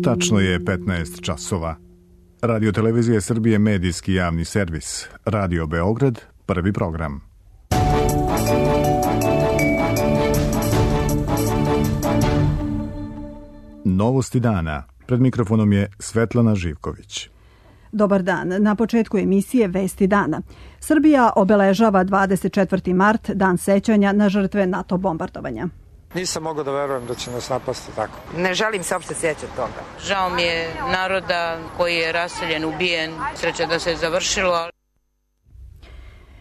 Tačno je 15 časova. Radio Televizije Srbije medijski javni servis. Radio Beograd, prvi program. Novosti dana. Pred mikrofonom je Svetlana Živković. Dobar dan. Na početku emisije Vesti dana. Srbija obeležava 24. mart, dan sećanja na žrtve NATO bombardovanja. Nisam mogao da verujem da će nas napasti tako. Ne želim se uopšte sjećati toga. Žao mi je naroda koji je raseljen, ubijen. Sreća da se završilo.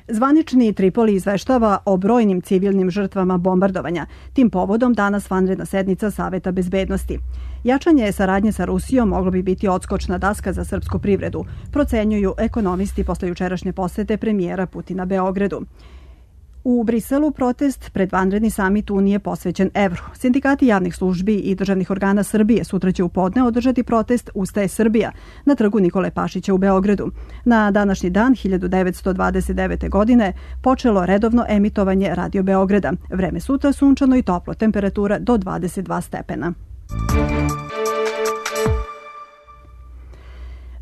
Zvanični Tripoli izveštava o brojnim civilnim žrtvama bombardovanja. Tim povodom danas vanredna sednica Saveta bezbednosti. Jačanje saradnje sa Rusijom moglo bi biti odskočna daska za srpsku privredu, procenjuju ekonomisti posle jučerašnje posete premijera Putina Beogradu. U Briselu protest pred vanredni samit Unije posvećen evru. Sindikati javnih službi i državnih organa Srbije sutra će u podne održati protest Ustaje Srbija na trgu Nikole Pašića u Beogradu. Na današnji dan 1929. godine počelo redovno emitovanje Radio Beograda. Vreme sutra sunčano i toplo, temperatura do 22 stepena.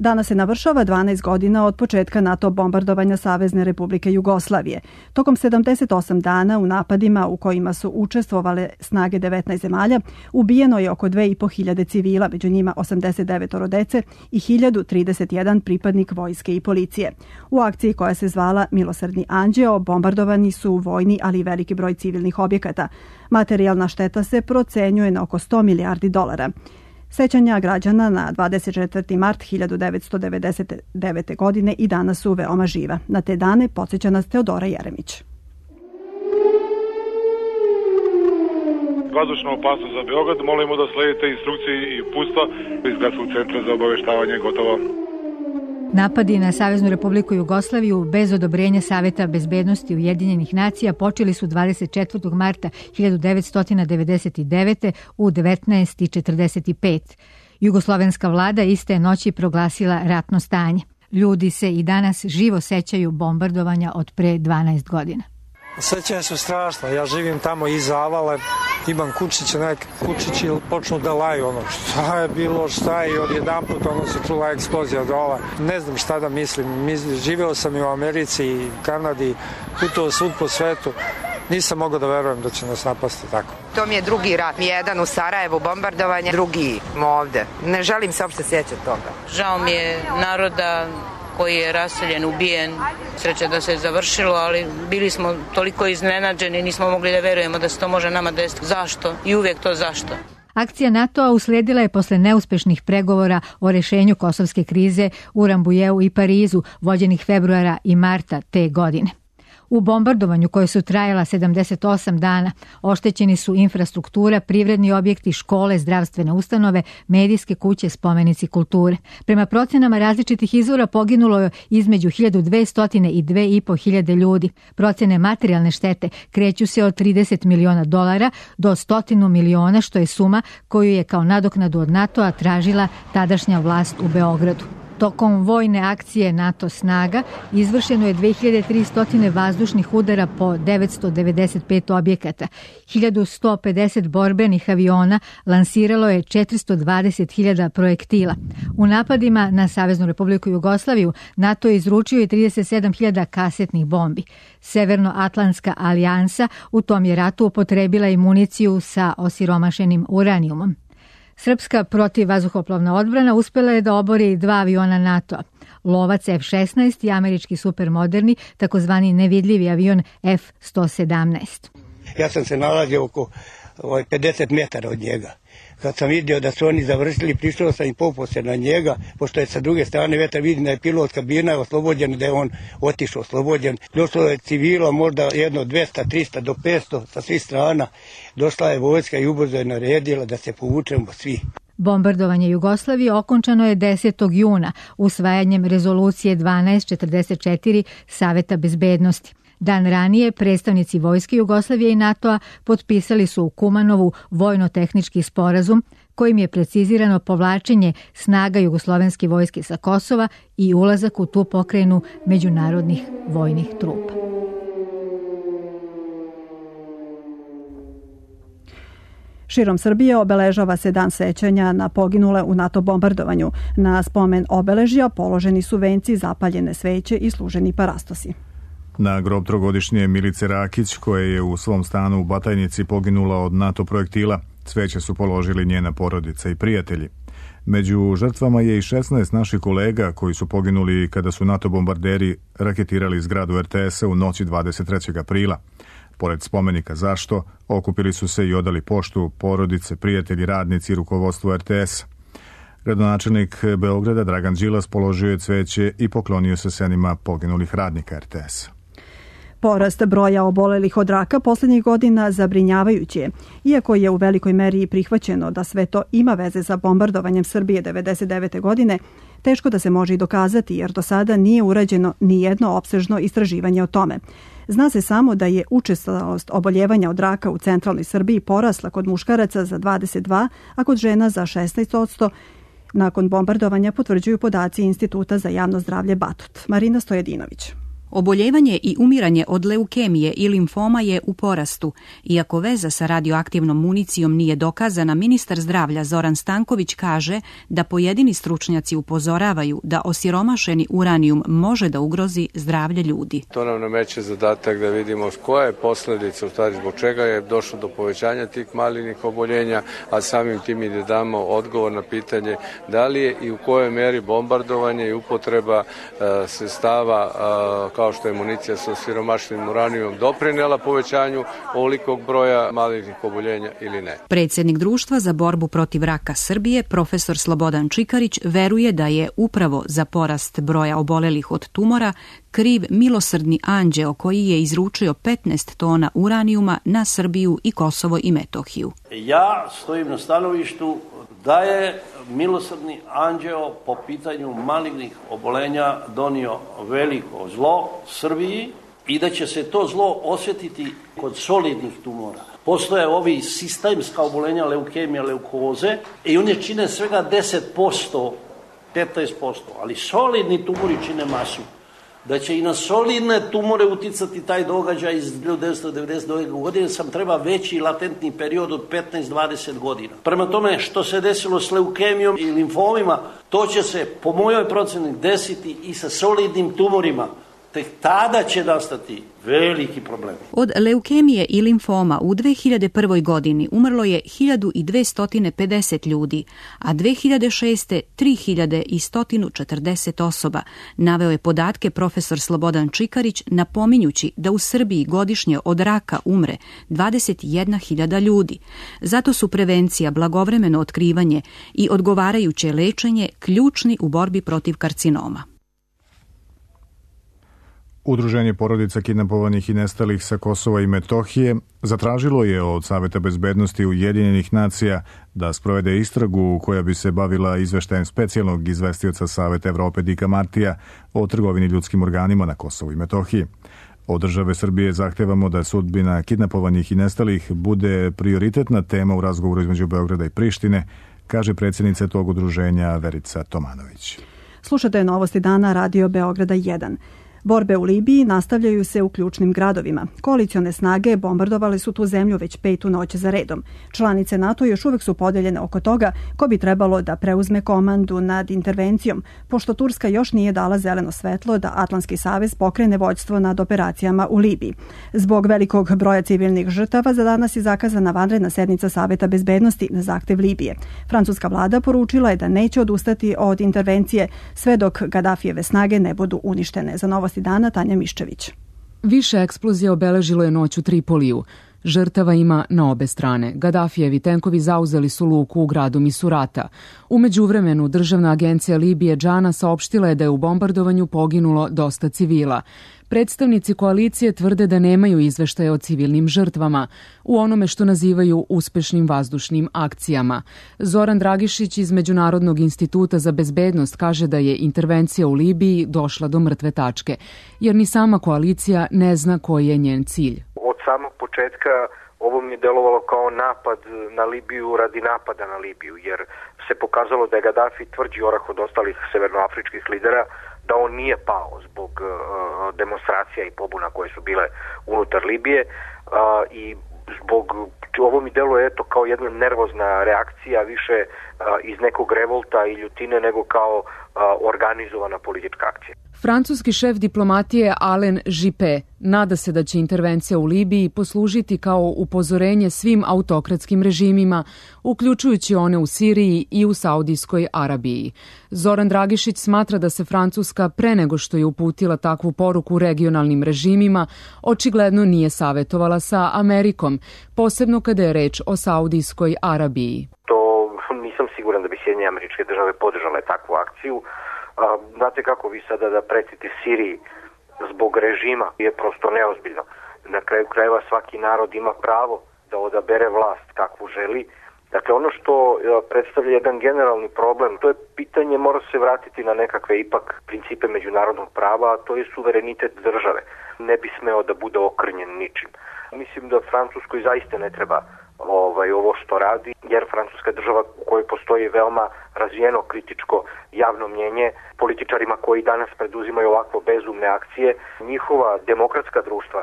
Danas se navršava 12 godina od početka NATO bombardovanja Savezne Republike Jugoslavije. Tokom 78 dana u napadima u kojima su učestvovale snage 19 zemalja, ubijeno je oko 2500 civila, među njima 89 dece i 1031 pripadnik vojske i policije. U akciji koja se zvala Milosrdni anđeo bombardovani su vojni, ali i veliki broj civilnih objekata. Materijalna šteta se procenjuje na oko 100 milijardi dolara. Sećanja građana na 24. mart 1999. godine i danas su veoma živa. Na te dane podsjeća nas Teodora Jeremić. Vazdušna opasnost za Beograd, molimo da sledite instrukcije i uputstva iz Gradskog centra za obaveštavanje. Gotovo. Napadi na Saveznu Republiku Jugoslaviju bez odobrenja Saveta bezbednosti Ujedinjenih nacija počeli su 24. marta 1999. u 19:45. Jugoslovenska vlada iste noći proglasila ratno stanje. Ljudi se i danas živo sećaju bombardovanja od pre 12 godina. Sećanja su strašna. Ja živim tamo iza Avale, imam kućiće, neke kućići počnu da laju, šta je bilo, šta je, i odjedanput se čula eksplozija dola. Ne znam šta da mislim. Živeo sam i u Americi i Kanadi, putovao svud po svetu. Nisam mogao da verujem da će nas napasti tako. To mi je drugi rat. Jedan u Sarajevu bombardovanje, drugi ovde. Ne želim se uopšte sjećati toga. Žao mi je naroda koji je raseljen, ubijen. Sreća da se završilo, ali bili smo toliko iznenađeni, nismo mogli da verujemo da se to može nama desiti. Zašto? I uvijek to zašto. Akcija NATO-a usledila je posle neuspešnih pregovora o rešenju kosovske krize u Rambujeu i Parizu, vođenih februara i marta te godine. U bombardovanju koje su trajala 78 dana oštećeni su infrastruktura, privredni objekti, škole, zdravstvene ustanove, medijske kuće, spomenici kulture. Prema procenama različitih izvora poginulo je između 1200 i 2500 ljudi. Procene materijalne štete kreću se od 30 miliona dolara do 100 miliona, što je suma koju je kao nadoknadu od NATO-a tražila tadašnja vlast u Beogradu. Tokom vojne akcije NATO snaga izvršeno je 2300 vazdušnih udara po 995 objekata. 1150 borbenih aviona lansiralo je 420.000 projektila. U napadima na Saveznu Republiku Jugoslaviju NATO je izručio i 37.000 kasetnih bombi. Severnoatlantska alijansa u tom je ratu upotrebila i municiju sa osiromašenim uranijumom. Srpska protivvazduhoplovna odbrana uspela je da obori 2 aviona NATO-a, Lovac F-16 i američki supermoderni, takozvani nevidljivi avion F-117. Ja sam se nalazio oko 50 metara od njega. Kad sam vidio da su oni završili, prišao sam i popao se na njega, pošto je sa druge strane vetar, vidim da je pilot kabina oslobođen, da je on otišao oslobođen. Došlo je civilo, možda jedno 200, 300 do 500 sa svih strana. Došla je vojska i ubrzo je naredila da se povučemo svi. Bombardovanje Jugoslavije okončano je 10. juna usvajanjem rezolucije 1244 Saveta bezbednosti. Dan ranije predstavnici vojske Jugoslavije i NATO-a potpisali su u Kumanovu vojno-tehnički sporazum kojim je precizirano povlačenje snaga jugoslovenske vojske sa Kosova i ulazak u tu pokrajinu međunarodnih vojnih trupa. Širom Srbije obeležava se dan sećanja na poginule u NATO bombardovanju. Na spomen obeležja položeni su venci, zapaljene sveće i služeni parastosi. Na grob trogodišnje Milice Rakić, koja je u svom stanu u Batajnici poginula od NATO projektila, cveće su položili njena porodica i prijatelji. Među žrtvama je i 16 naših kolega koji su poginuli kada su NATO bombarderi raketirali zgradu RTS-a u noći 23. aprila. Pored spomenika zašto, okupili su se i odali poštu porodice, prijatelji, radnici i rukovodstvo RTS-a. Gradonačelnik Beograda Dragan Đilas položio je cveće i poklonio se senima poginulih radnika RTS-a. Porast broja obolelih od raka posljednjih godina zabrinjavajući je. Iako je u velikoj meri prihvaćeno da sve to ima veze sa bombardovanjem Srbije 1999. godine, teško da se može i dokazati jer do sada nije urađeno ni jedno opsežno istraživanje o tome. Zna se samo da je učestalost oboljevanja od raka u centralnoj Srbiji porasla kod muškaraca za 22%, a kod žena za 16%. Nakon bombardovanja potvrđuju podaci Instituta za javno zdravlje Batut. Marina Stojedinović. Oboljevanje i umiranje od leukemije i limfoma je u porastu. Iako veza sa radioaktivnom municijom nije dokazana, ministar zdravlja Zoran Stanković kaže da pojedini stručnjaci upozoravaju da osiromašeni uranijum može da ugrozi zdravlje ljudi. To nam nameće zadatak da vidimo koja je posljedica, u stvari zbog čega je došlo do povećanja tih malignih oboljenja, a samim tim i da damo odgovor na pitanje da li je i u kojoj meri bombardovanje i upotreba sredstava kao što je municija sa osiromašenim uranijumom doprinela povećanju ovolikog broja malignih oboljenja ili ne. Predsjednik Društva za borbu protiv raka Srbije, profesor Slobodan Čikarić, veruje da je upravo za porast broja obolelih od tumora kriv milosrdni anđeo koji je izručio 15 tona uranijuma na Srbiju i Kosovo i Metohiju. Ja stojim na stanovištu da je milosrdni anđeo po pitanju malignih obolenja donio veliko zlo Srbiji i da će se to zlo osjetiti kod solidnih tumora. Postoje ovi sistemska obolenja, leukemija, leukoze i one čine svega 10%, 15%, ali solidni tumori čine masu. Da će i na solidne tumore uticati taj događaj iz 1992. godine, sam treba veći latentni period od 15-20 godina. Prema tome, što se desilo s leukemijom i limfomima, to će se, po mojoj proceni, desiti i sa solidnim tumorima. Tek tada će nastati veliki problem. Od leukemije i limfoma u 2001. godini umrlo je 1250 ljudi, a 2006. 3140 osoba. Naveo je podatke profesor Slobodan Čikarić, napominjući da u Srbiji godišnje od raka umre 21.000 ljudi. Zato su prevencija, blagovremeno otkrivanje i odgovarajuće lečenje ključni u borbi protiv karcinoma. Udruženje porodica kidnapovanih i nestalih sa Kosova i Metohije zatražilo je od Saveta bezbednosti Ujedinjenih nacija da sprovede istragu koja bi se bavila izveštajem specijalnog izvestioca Saveta Evrope Dika Martija o trgovini ljudskim organima na Kosovu i Metohiji. Od države Srbije zahtevamo da sudbina kidnapovanih i nestalih bude prioritetna tema u razgovoru između Beograda i Prištine, kaže predsjednica tog udruženja Verica Tomanović. Slušate novosti dana Radio Beograda 1. Borbe u Libiji nastavljaju se u ključnim gradovima. Koalicione snage bombardovale su tu zemlju već 5. noć za redom. Članice NATO još uvek su podeljene oko toga ko bi trebalo da preuzme komandu nad intervencijom, pošto Turska još nije dala zeleno svetlo da Atlantski savez pokrene vođstvo nad operacijama u Libiji. Zbog velikog broja civilnih žrtava za danas je zakazana vanredna sednica Saveta bezbednosti na zahtev Libije. Francuska vlada poručila je da neće odustati od intervencije sve dok Gadafijeve snage ne budu uništene. Za novosti dana Tanja Miščević. Više eksplozija obeležilo je noć u Tripoliju. Žrtava ima na obe strane. Gadafijevi tenkovi zauzeli su luku u gradu Misurata. U međuvremenu državna agencija Libije Džana saopštila je da je u bombardovanju poginulo dosta civila. Predstavnici koalicije tvrde da nemaju izveštaje o civilnim žrtvama u onome što nazivaju uspešnim vazdušnim akcijama. Zoran Dragišić iz Međunarodnog instituta za bezbednost kaže da je intervencija u Libiji došla do mrtve tačke, jer ni sama koalicija ne zna koji je njen cilj. Od samog početka ovo mi je delovalo kao napad na Libiju radi napada na Libiju, jer se pokazalo da je Gadafi tvrđi orah od ostalih severnoafričkih lidera, da on nije pao zbog demonstracija i pobuna koje su bile unutar Libije i Ovo mi deluje eto kao jedna nervozna reakcija, više iz nekog revolta i ljutine nego kao organizovana politička akcija. Francuski šef diplomatije Alain Juppé nada se da će intervencija u Libiji poslužiti kao upozorenje svim autokratskim režimima, uključujući one u Siriji i u Saudijskoj Arabiji. Zoran Dragišić smatra da se Francuska pre nego što je uputila takvu poruku regionalnim režimima, očigledno nije savjetovala sa Amerikom, posebno kada je reč o Saudijskoj Arabiji. Nisam siguran da bi Sjedinjene Američke Države podržale takvu akciju. Znate kako vi sada da pretite Siriji zbog režima je prosto neozbiljno. Na kraju krajeva svaki narod ima pravo da odabere vlast kakvu želi. Dakle, ono što predstavlja jedan generalni problem, to je pitanje, mora se vratiti na nekakve ipak principe međunarodnog prava, a to je suverenitet države. Ne bi smeo da bude okrnjen ničim. Mislim da Francuskoj zaista ne treba ovo što radi, jer Francuska država u kojoj postoji veoma razvijeno kritičko javno mnjenje, političarima koji danas preduzimaju ovakvo bezumne akcije, njihova demokratska društva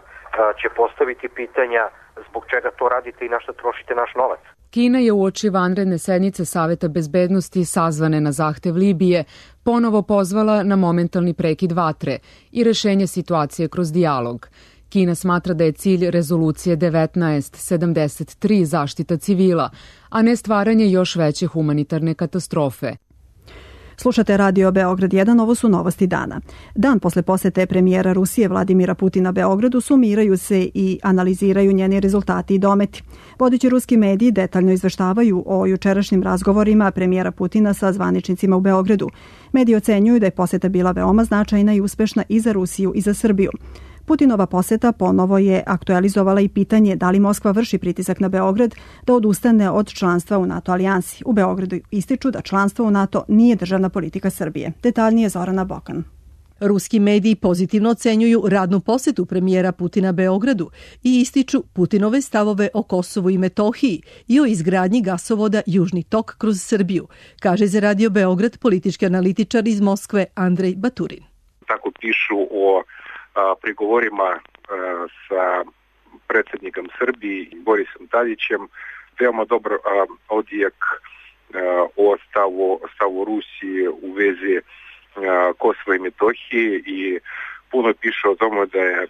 će postaviti pitanja zbog čega to radite i na šta trošite naš novac. Kina je uoči vanredne sednice Saveta bezbednosti sazvane na zahtev Libije ponovo pozvala na momentalni prekid vatre i rešenje situacije kroz dijalog. Kina smatra da je cilj rezolucije 1973 zaštita civila, a ne stvaranje još veće humanitarne katastrofe. Slušate Radio Beograd 1, ovo su novosti dana. Dan posle posete premijera Rusije Vladimira Putina Beogradu sumiraju se i analiziraju njeni rezultati i dometi. Vodeći ruski mediji detaljno izveštavaju o jučerašnjim razgovorima premijera Putina sa zvaničnicima u Beogradu. Mediji ocenjuju da je poseta bila veoma značajna i uspešna i za Rusiju i za Srbiju. Putinova poseta ponovo je aktualizovala i pitanje da li Moskva vrši pritisak na Beograd da odustane od članstva u NATO alijansi. U Beogradu ističu da članstvo u NATO nije državna politika Srbije. Detaljnije Zorana Bokan. Ruski mediji pozitivno ocenjuju radnu posetu premijera Putina Beogradu i ističu Putinove stavove o Kosovu i Metohiji i o izgradnji gasovoda Južni tok kroz Srbiju, kaže za Radio Beograd politički analitičar iz Moskve Andrej Baturin. Tako pišu o pregovorima sa predsjednikom Srbije Borisom Tadićem, veoma dobar odjek o stavu Rusije u vezi Kosova i Metohije i puno piše o tome da je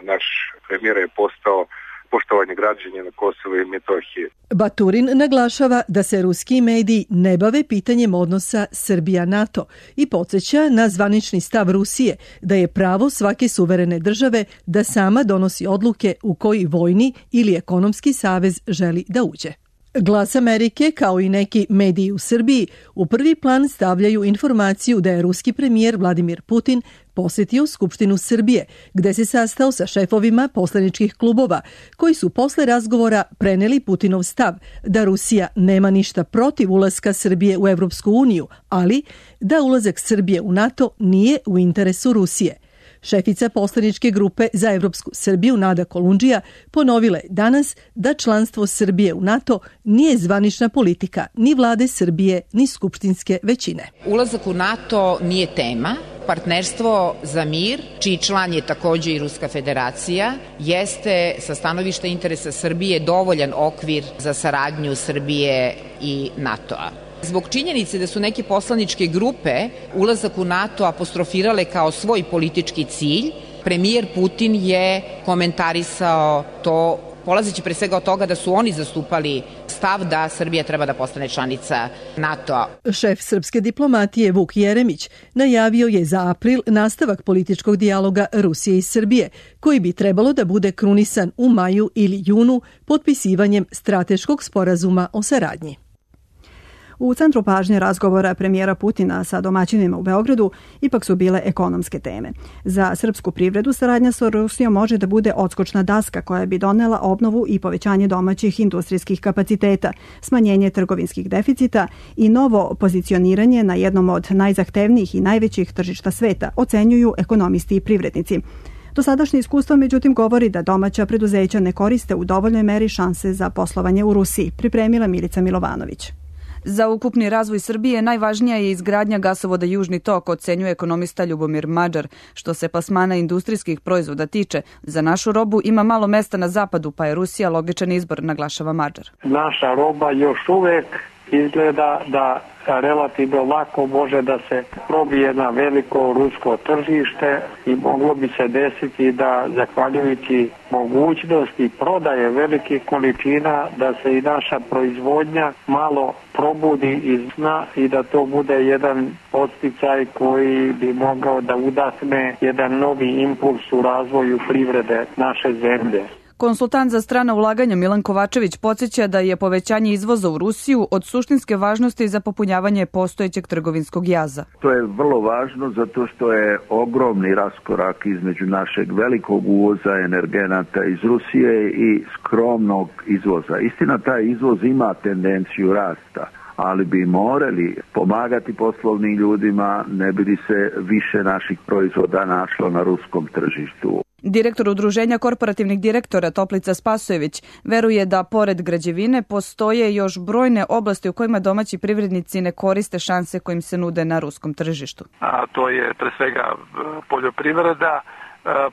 naš premijer je postao poštovanje građana Kosova i Metohije. Baturin naglašava da se ruski mediji ne bave pitanjem odnosa Srbija-NATO i podsjeća na zvanični stav Rusije da je pravo svake suverene države da sama donosi odluke u koji vojni ili ekonomski savez želi da uđe. Glas Amerike, kao i neki mediji u Srbiji, u prvi plan stavljaju informaciju da je ruski premijer Vladimir Putin posjetio Skupštinu Srbije, gde se sastao sa šefovima poslaničkih klubova, koji su posle razgovora preneli Putinov stav da Rusija nema ništa protiv ulaska Srbije u Evropsku uniju, ali da ulazak Srbije u NATO nije u interesu Rusije. Šefica poslaničke grupe za Evropsku Srbiju Nada Kolundžija ponovila je danas da članstvo Srbije u NATO nije zvanična politika ni vlade Srbije ni skupštinske većine. Ulazak u NATO nije tema. Partnerstvo za mir, čiji član je također i Ruska federacija, jeste sa stanovišta interesa Srbije dovoljan okvir za saradnju Srbije i NATO-a. Zbog činjenice da su neke poslaničke grupe ulazak u NATO apostrofirale kao svoj politički cilj, premijer Putin je komentarisao to, polazeći pre svega od toga da su oni zastupali stav da Srbija treba da postane članica NATO-a. Šef srpske diplomatije Vuk Jeremić najavio je za april nastavak političkog dijaloga Rusije i Srbije, koji bi trebalo da bude krunisan u maju ili junu potpisivanjem strateškog sporazuma o saradnji. U centru pažnje razgovora premijera Putina sa domaćinima u Beogradu ipak su bile ekonomske teme. Za srpsku privredu saradnja sa Rusijom može da bude odskočna daska koja bi donela obnovu i povećanje domaćih industrijskih kapaciteta, smanjenje trgovinskih deficita i novo pozicioniranje na jednom od najzahtevnijih i najvećih tržišta sveta, ocenjuju ekonomisti i privrednici. Dosadašnje iskustvo međutim govori da domaća preduzeća ne koriste u dovoljnoj meri šanse za poslovanje u Rusiji, pripremila Milica Milovanović. Za ukupni razvoj Srbije najvažnija je izgradnja gasovoda Južni tok, ocenjuje ekonomista Ljubomir Mađar. Što se plasmana industrijskih proizvoda tiče, za našu robu ima malo mesta na zapadu, pa je Rusija logičan izbor, naglašava Mađar. Naša roba još uvek izgleda da relativno lako može da se probije na veliko rusko tržište i moglo bi se desiti da, zahvaljujući mogućnosti prodaje velikih količina, da se i naša proizvodnja malo probudi iz sna i da to bude jedan podsticaj koji bi mogao da udahne jedan novi impuls u razvoju privrede naše zemlje. Konsultant za strana ulaganja Milan Kovačević podsjeća da je povećanje izvoza u Rusiju od suštinske važnosti za popunjavanje postojećeg trgovinskog jaza. To je vrlo važno zato što je ogromni raskorak između našeg velikog uvoza energenata iz Rusije i skromnog izvoza. Istina, taj izvoz ima tendenciju rasta, ali bi morali pomagati poslovnim ljudima, ne bi li se više naših proizvoda našlo na ruskom tržištu. Direktor Udruženja korporativnih direktora Toplica Spasojević veruje da pored građevine postoje još brojne oblasti u kojima domaći privrednici ne koriste šanse kojim se nude na ruskom tržištu. A to je pre svega poljoprivreda,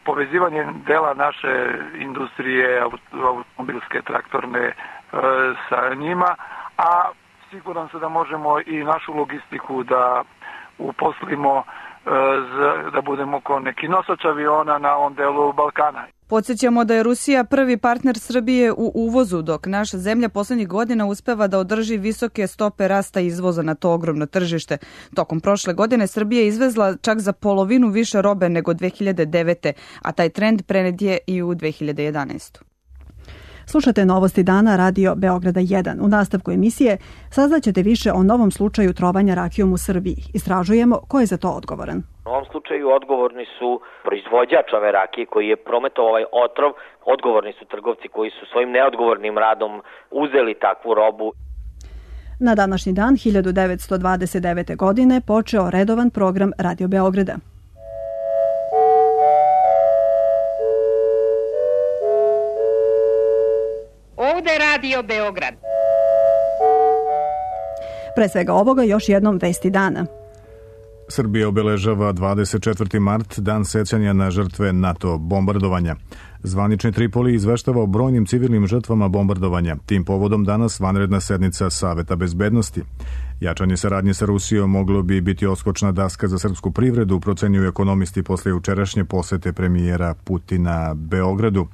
povezivanje dela naše industrije, automobilske, traktorne sa njima, a siguran sam da možemo i našu logistiku da uposlimo, da budemo kao neki nosač aviona na ovom delu Balkana. Podsjećamo da je Rusija prvi partner Srbije u uvozu, dok naša zemlja poslednjih godina uspeva da održi visoke stope rasta izvoza na to ogromno tržište. Tokom prošle godine Srbija je izvezla čak za polovinu više robe nego 2009. a taj trend prenet je i u 2011. Slušate Novosti dana Radio Beograda 1. U nastavku emisije saznaćete više o novom slučaju trovanja rakijom u Srbiji. Istražujemo ko je za to odgovoran. U ovom slučaju odgovorni su proizvođač ove rakije koji je prometovao ovaj otrov, odgovorni su trgovci koji su svojim neodgovornim radom uzeli takvu robu. Na današnji dan 1929. godine počeo redovan program Radio Beograda. Ovde je Radio Beograd. Pre svega ovoga još jednom vesti dana. Srbija obeležava 24. mart, dan sećanja na žrtve NATO bombardovanja. Zvanični Tripoli izveštava o brojnim civilnim žrtvama bombardovanja. Tim povodom danas vanredna sednica Saveta bezbednosti. Jačanje saradnje sa Rusijom moglo bi biti odskočna daska za srpsku privredu, procenjuju ekonomisti posle jučerašnje posete premijera Putina Beogradu.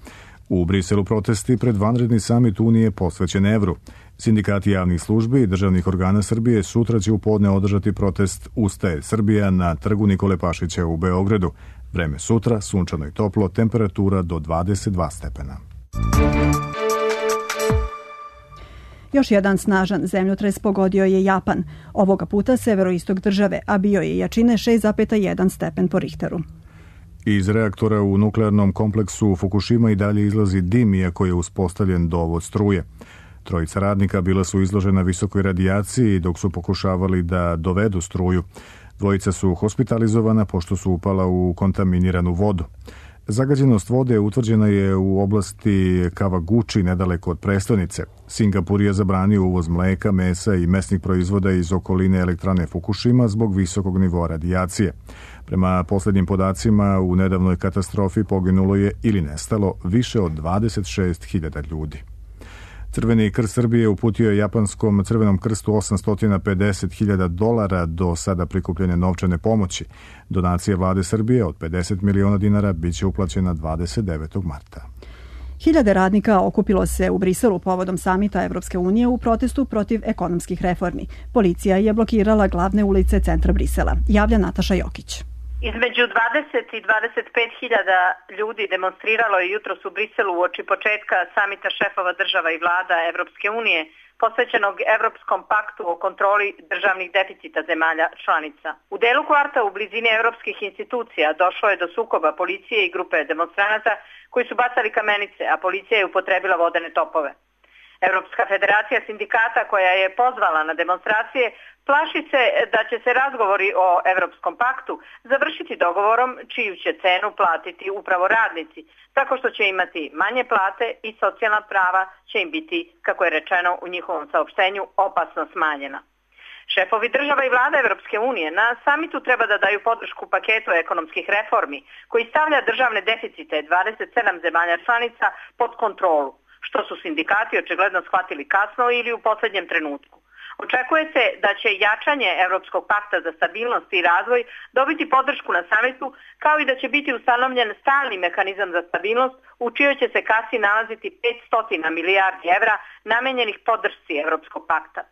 U Briselu protesti pred vanredni samit Unije posvećen evru. Sindikati javnih službi i državnih organa Srbije sutra će u podne održati protest Ustaje Srbija na trgu Nikole Pašića u Beogradu. Vreme sutra, sunčano i toplo, temperatura do 22 stepena. Još jedan snažan zemljotres pogodio je Japan. Ovoga puta severoistok države, a bio je jačine 6,1 stepen po Richteru. Iz reaktora u nuklearnom kompleksu Fukushima i dalje izlazi dim, iako je uspostavljen dovod struje. Trojica radnika bila su izložena visokoj radijaciji dok su pokušavali da dovedu struju. Dvojica su hospitalizovana pošto su upala u kontaminiranu vodu. Zagađenost vode utvrđena je u oblasti Kawaguchi, nedaleko od prestonice. Singapur je zabranio uvoz mleka, mesa i mesnih proizvoda iz okoline elektrane Fukushima zbog visokog nivoa radijacije. Prema poslednjim podacima, u nedavnoj katastrofi poginulo je ili nestalo više od 26.000 ljudi. Crveni krst Srbije uputio je japanskom Crvenom krstu $850.000 do sada prikupljene novčane pomoći. Donacija vlade Srbije od 50 miliona dinara biće uplaćena 29. marta. Hiljade radnika okupilo se u Briselu povodom samita Evropske unije u protestu protiv ekonomskih reformi. Policija je blokirala glavne ulice centra Brisela. Javlja Nataša Jokić. Između 20 i 25 hiljada ljudi demonstriralo je jutros u Briselu uoči početka samita šefova država i vlada Evropske unije, posvećenog Evropskom paktu o kontroli državnih deficita zemalja članica. U delu kvarta u blizini evropskih institucija došlo je do sukoba policije i grupe demonstranata koji su bacali kamenice, a policija je upotrebila vodene topove. Europska federacija sindikata koja je pozvala na demonstracije plaši se da će se razgovori o Europskom paktu završiti dogovorom čiju će cenu platiti upravo radnici, tako što će imati manje plate i socijalna prava će im biti, kako je rečeno u njihovom saopštenju, opasno smanjena. Šefovi država i vlada Evropske unije na samitu treba da daju podršku paketu ekonomskih reformi koji stavlja državne deficite 27 zemalja članica pod kontrolu, što su sindikati očigledno shvatili kasno ili u poslednjem trenutku. Očekuje se da će jačanje Evropskog pakta za stabilnost i razvoj dobiti podršku na samitu, kao i da će biti ustanovljen stalni mehanizam za stabilnost u čijoj će se kasi nalaziti 500 milijardi evra namenjenih podršci Evropskog pakta.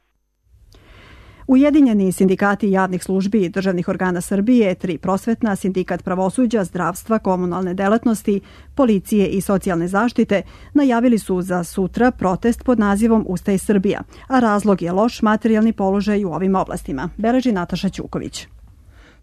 Ujedinjeni sindikati javnih službi i državnih organa Srbije, 3 prosvetna, sindikat pravosuđa, zdravstva, komunalne delatnosti, policije i socijalne zaštite najavili su za sutra protest pod nazivom Ustaj Srbija, a razlog je loš materijalni položaj u ovim oblastima, beleži Nataša Ćuković.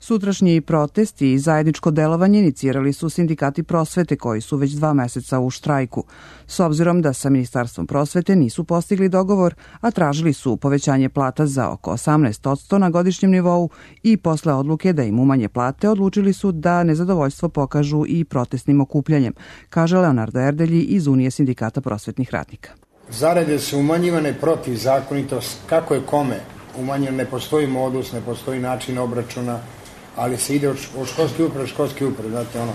Sutrašnji protest i zajedničko delovanje inicirali su sindikati prosvete koji su već 2 meseca u štrajku. S obzirom da sa Ministarstvom prosvete nisu postigli dogovor, a tražili su povećanje plata za oko 18% na godišnjem nivou i posle odluke da im umanje plate odlučili su da nezadovoljstvo pokažu i protestnim okupljanjem, kaže Leonardo Erdelji iz Unije sindikata prosvetnih radnika. Zarade su umanjivane protivzakonitost, kako je kome umanjeno, ne postoji modus, ne postoji način obračuna, ali se ide od školske uprave, znate ono,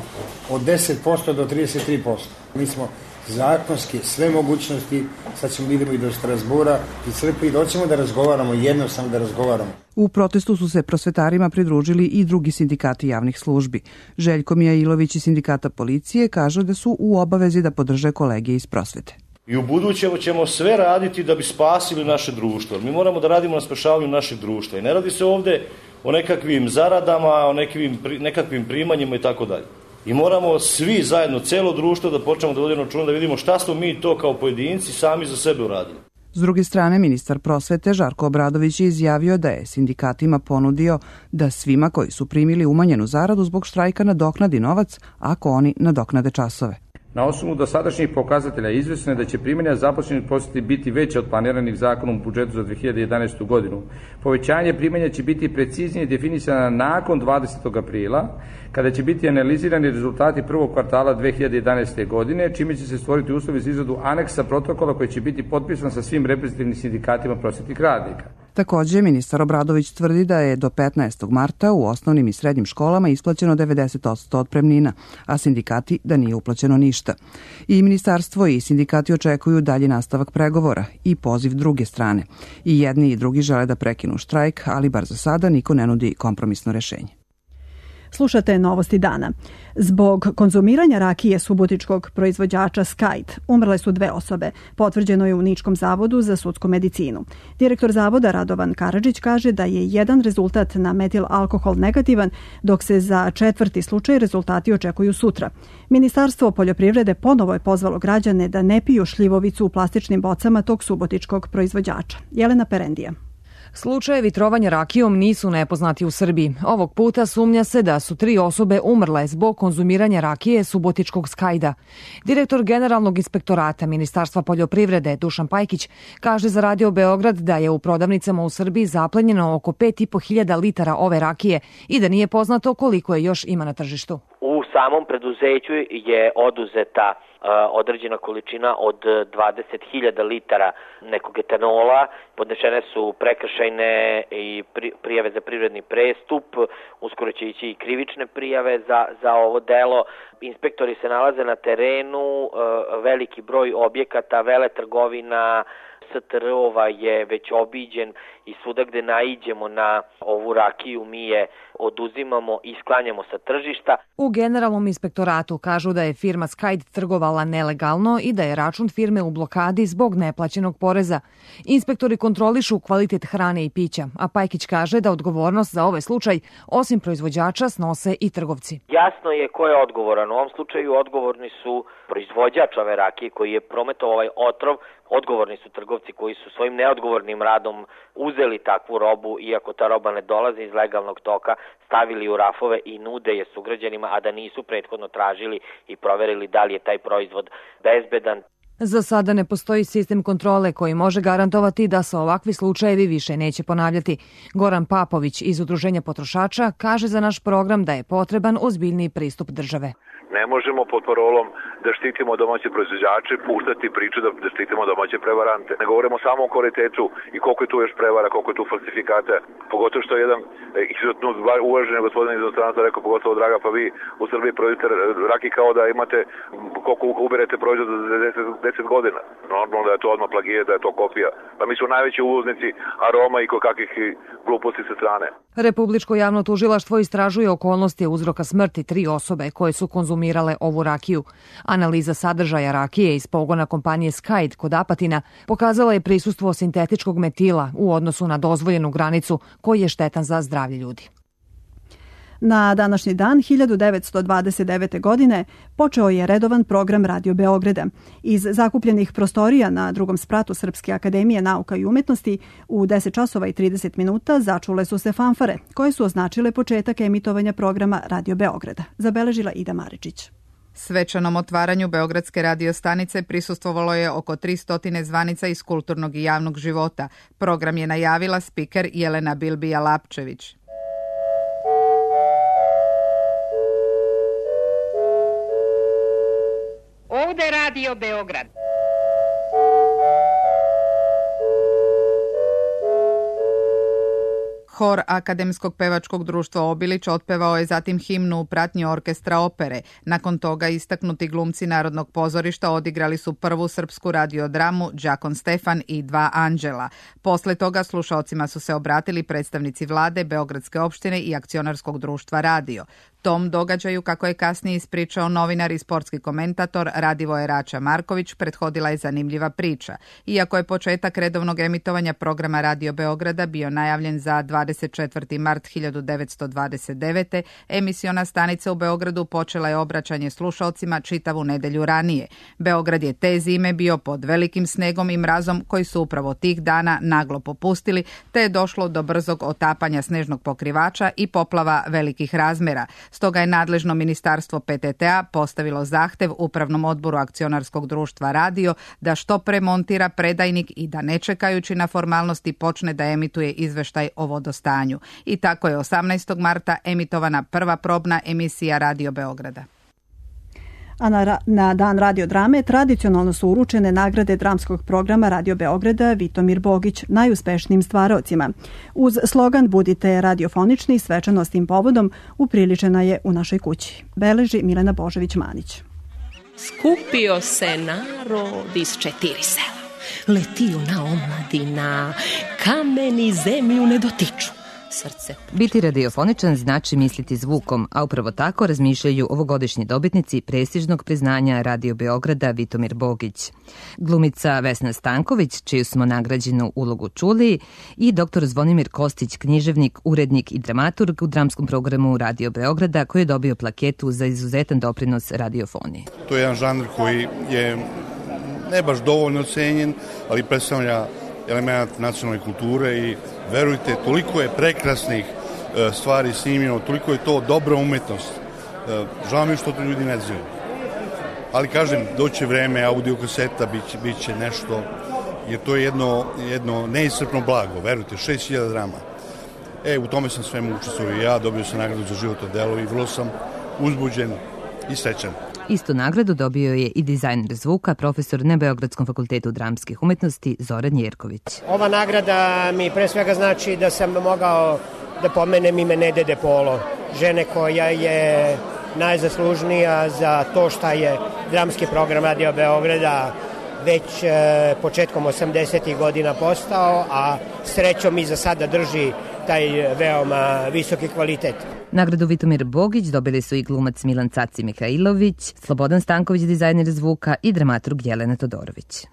od 10% do 33%. Mi smo zakonski sve mogućnosti, sad ćemo idemo i do Strasbura i crpi, doćemo da razgovaramo, jednostavno da razgovaramo. U protestu su se prosvetarima pridružili i drugi sindikati javnih službi. Željko Mijailović iz sindikata policije kaže da su u obavezi da podrže kolege iz prosvete. I u buduće ćemo sve raditi da bi spasili naše društvo. Mi moramo da radimo na spašavanju našeg društva. I ne radi se ovde o nekakvim zaradama, o nekakvim primanjima i tako dalje. I moramo svi zajedno, celo društvo, da počnemo da vodimo računa, da vidimo šta smo mi to kao pojedinci sami za sebe uradili. S druge strane, ministar prosvete Žarko Obradović je izjavio da je sindikatima ponudio da svima koji su primili umanjenu zaradu zbog štrajka nadoknadi novac ako oni nadoknade časove. Na osnovu dosadašnjih pokazatelja izvesno je da će primanja zaposlenih prosveti biti veće od planiranih zakonom u budžetu za 2011. godinu. Povećanje primanja će biti preciznije definisana nakon 20. aprila, kada će biti analizirani rezultati prvog kvartala 2011. godine, čime će se stvoriti uslovi za izradu aneksa protokola koji će biti potpisan sa svim reprezentativnim sindikatima prosvetnih radnika. Takođe, ministar Obradović tvrdi da je do 15. marta u osnovnim i srednjim školama isplaćeno 90% otpremnina, a sindikati da nije uplaćeno ništa. I ministarstvo i sindikati očekuju dalji nastavak pregovora i poziv druge strane. I jedni i drugi žele da prekinu štrajk, ali bar za sada niko ne nudi kompromisno rešenje. Slušate Novosti dana. Zbog konzumiranja rakije subotičkog proizvođača Skajd umrle su 2 osobe, potvrđeno je u Niškom zavodu za sudsku medicinu. Direktor zavoda Radovan Karadžić kaže da je jedan rezultat na metil alkohol negativan, dok se za 4. slučaj rezultati očekuju sutra. Ministarstvo poljoprivrede ponovo je pozvalo građane da ne piju šljivovicu u plastičnim bocama tog subotičkog proizvođača. Jelena Perendija. Slučajevi trovanja rakijom nisu nepoznati u Srbiji. Ovog puta sumnja se da su 3 osobe umrle zbog konzumiranja rakije subotičkog Skajda. Direktor Generalnog inspektorata Ministarstva poljoprivrede Dušan Pajkić kaže za Radio Beograd da je u prodavnicama u Srbiji zaplenjeno oko 5.500 litara ove rakije i da nije poznato koliko je još ima na tržištu. U samom preduzeću je oduzeta određena količina od 20.000 litara nekog etanola, podnešene su prekršajne i prijave za privredni prestup, uskoro će ići i krivične prijave za ovo delo. Inspektori se nalaze na terenu, veliki broj objekata, veletrgovina, STR-ova je već obiđen i svuda gde naiđemo na ovu rakiju mi je oduzimamo i sklanjamo sa tržišta. U Generalnom inspektoratu kažu da je firma Skajd trgovala nelegalno i da je račun firme u blokadi zbog neplaćenog poreza. Inspektori kontrolišu kvalitet hrane i pića, a Pajkić kaže da odgovornost za ovaj slučaj osim proizvođača snose i trgovci. Jasno je ko je odgovoran. U ovom slučaju odgovorni su proizvođač ove rakije koji je prometovao ovaj otrov, odgovorni su trgovci koji su svojim neodgovornim radom uzeli takvu robu, iako ta roba ne dolazi iz legalnog toka, stavili u rafove i nude je sugrađanima, a da nisu prethodno tražili i proverili da li je taj proizvod bezbedan. Za sada ne postoji sistem kontrole koji može garantovati da se ovakvi slučajevi više neće ponavljati. Goran Papović iz Udruženja potrošača kaže za naš program da je potreban ozbiljniji pristup države. Ne možemo pod parolom da štitimo domaće proizvođače, puštati priču da štitimo domaće prevarante. Ne govorimo samo o kvalitetu i koliko je tu još prevara, koliko je tu falsifikata. Pogotovo što je jedan izuzetno uvaženi gospodin iz inostranstva rekao, pogotovo draga, pa vi u Srbiji proizvodite rakiju kao da imate koliko uberete proizvod za 10 godina. Normalno da je to odmah plagijat, da je to kopija. Pa mi smo najveći uvoznici aroma i kakvih gluposti sa strane. Republičko javno tužilaštvo istražuje okolnosti uzroka smrti 3 osobe koje su konzumirale ovu rakiju. Analiza sadržaja rakije iz pogona kompanije Skyde kod Apatina pokazala je prisustvo sintetičkog metila u odnosu na dozvoljenu granicu koji je štetan za zdravlje ljudi. Na današnji dan 1929. godine počeo je redovan program Radio Beograda. Iz zakupljenih prostorija na drugom spratu Srpske akademije nauka i umetnosti u 10 časova i 30 minuta začule su se fanfare koje su označile početak emitovanja programa Radio Beograda. Zabeležila Ida Maričić. Svečanom otvaranju Beogradske radiostanice prisustvovalo je oko 300 zvanica iz kulturnog i javnog života. Program je najavila spiker Jelena Bilbija-Lapčević. Ovde Radio Beograd. Hor Akademskog pevačkog društva Obilić otpevao je zatim himnu u pratnji orkestra opere. Nakon toga istaknuti glumci Narodnog pozorišta odigrali su prvu srpsku radiodramu Đakon Stefan i 2 anđela. Posle toga slušaocima su se obratili predstavnici vlade, Beogradske opštine i akcionarskog društva Radio. Tom događaju, kako je kasnije ispričao novinar i sportski komentator Radivoje Rača Marković, prethodila je zanimljiva priča. Iako je početak redovnog emitovanja programa Radio Beograda bio najavljen za 24. mart 1929. emisiona stanica u Beogradu počela je obraćanje slušaocima čitavu nedelju ranije. Beograd je te zime bio pod velikim snegom i mrazom koji su upravo tih dana naglo popustili, te je došlo do brzog otapanja snežnog pokrivača i poplava velikih razmera. Stoga je nadležno ministarstvo PTT-a postavilo zahtev Upravnom odboru akcionarskog društva Radio da što pre montira predajnik i da ne čekajući na formalnosti počne da emituje izveštaj o vodostanju. I tako je 18. marta emitovana prva probna emisija Radio Beograda. A na dan radiodrame tradicionalno su uručene nagrade dramskog programa Radio Beograda Vitomir Bogić najuspešnijim stvaraocima. Uz slogan Budite radiofonični, svečanost tim povodom upriličena je u našoj kući. Beleži Milena Božović-Manić. Skupio se narod iz 4 sela. Letio na omladina, kameni zemlju ne dotiču. Srce. Biti radiofoničan znači misliti zvukom, a upravo tako razmišljaju ovogodišnji dobitnici prestižnog priznanja Radio Beograda Vitomir Bogić. Glumica Vesna Stanković, čiju smo nagrađenu ulogu čuli, i dr. Zvonimir Kostić, književnik, urednik i dramaturg u dramskom programu Radio Beograda, koji je dobio plaketu za izuzetan doprinos radiofoniji. To je jedan žanr koji je ne baš dovoljno cenjen, ali predstavlja element nacionalne kulture i verujte, toliko je prekrasnih stvari snimljeno, toliko je to dobra umetnost. Žao mi što to ljudi ne znaju. Ali kažem, doće vreme, audio kaseta bit će nešto, jer to je jedno neiscrpno blago, verujte, 6000 drama. U tome sam svemu učestvovao i ja, dobio sam nagradu za životno delo i vrlo sam uzbuđen i srećan. Istu nagradu dobio je i dizajner zvuka, profesor na Beogradskom fakultetu dramskih umetnosti Zoran Jerković. Ova nagrada mi pre svega znači da sam mogao da pomenem ime Nede De Polo, žene koja je najzaslužnija za to šta je dramski program Radio Beograda već početkom 80. godina postao, a srećom i za sada drži taj veoma visoki kvalitet. Nagradu Vitomir Bogić dobili su i glumac Milan Caci Mihajlović, Slobodan Stanković, dizajner zvuka, i dramaturg Jelena Todorović.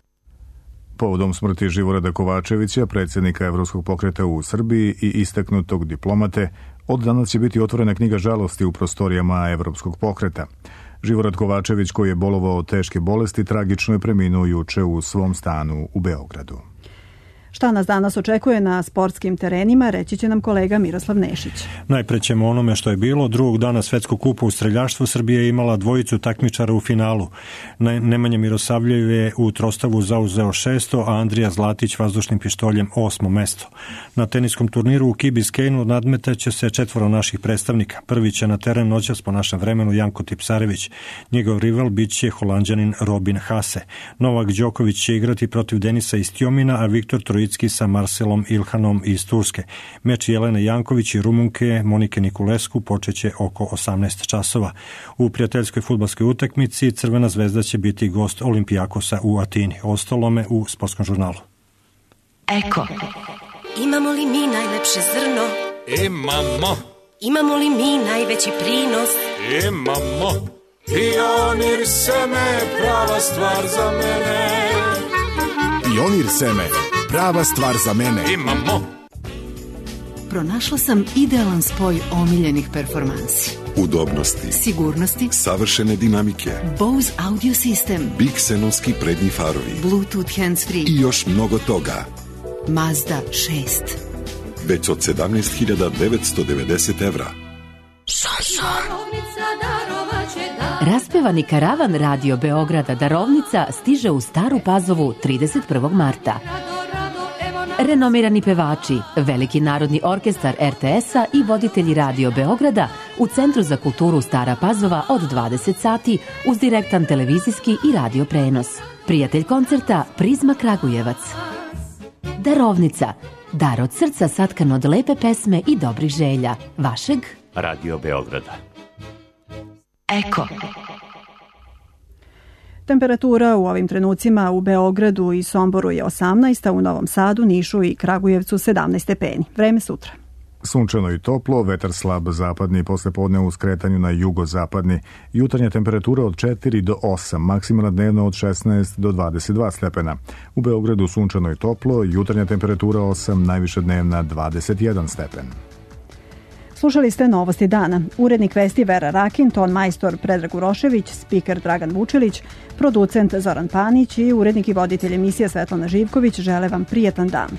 Povodom smrti Živorada Kovačevića, predsjednika Evropskog pokreta u Srbiji i istaknutog diplomate, od danas će biti otvorena knjiga žalosti u prostorijama Evropskog pokreta. Živorad Kovačević, koji je bolovao od teške bolesti, tragično je preminuo juče u svom stanu u Beogradu. Šta nas danas očekuje na sportskim terenima, reći će nam kolega Miroslav Nešić. Najpre ćemo onome što je bilo. Drugog dana Svetskog kupa u streljaštvu Srbija je imala dvojicu takmičara u finalu. Nemanja Mirosavljev je u trostavu zauzeo 6. a Andrija Zlatić vazdušnim pištoljem 8. mesto. Na teniskom turniru u Key Biscaynu nadmetaće se 4 naših predstavnika. Prvi će na teren noćas po našem vremenu Janko Tipsarević. Njegov rival bit će Holanđanin Robin Haase. Novak Đoković će igrati protiv Denisa Istjomina, a Viktor Trojicki sa Marcelom Ilhanom iz Turske. Meč Jelene Janković i Rumunke Monike Nikulesku počeće oko 18 časova. U prijateljskoj fudbalskoj utakmici Crvena zvezda će biti gost Olimpijakosa u Atini. Ostalome u sportskom žurnalu. Eko. Imamo li mi najlepše zrno? Imamo. Imamo li mi najveći prinos? Imamo. Pionir seme, prava stvar za mene. Pionir seme, prava stvar za mene. Imamo. Pronašla sam idealan spoj omiljenih performansi. Udobnosti, sigurnosti, savršene dinamike, Bose audio sistem, Bixenovski prednji farovi, Bluetooth hands-free i još mnogo toga. Mazda 6. Već od 17.990 evra. Raspevani karavan Radio Beograda Darovnica stiže u Staru Pazovu 31. marta. Renomirani pevači, Veliki narodni orkestar RTS-a i voditelji Radio Beograda u Centru za kulturu Stara Pazova od 20 sati uz direktan televizijski i radio prenos. Prijatelj koncerta Prizma Kragujevac. Darovnica, dar od srca satkan od lepe pesme i dobrih želja. Vašeg Radio Beograda. Eko. Temperatura u ovim trenucima u Beogradu i Somboru je 18, a u Novom Sadu, Nišu i Kragujevcu 17 stepeni. Vreme sutra. Sunčano i toplo, vetar slab zapadni, poslepodne u skretanju na jugozapadni. Jutarnja temperatura od 4 do 8, maksimalna dnevna od 16 do 22 stepena. U Beogradu sunčano i toplo, jutarnja temperatura 8, najviša dnevna 21 stepen. Slušali ste Novosti dana. Urednik vesti Vera Rakin, ton majstor Predrag Urošević, spiker Dragan Vučilić, producent Zoran Panić i urednik i voditelj emisije Svetlana Živković žele vam prijetan dan.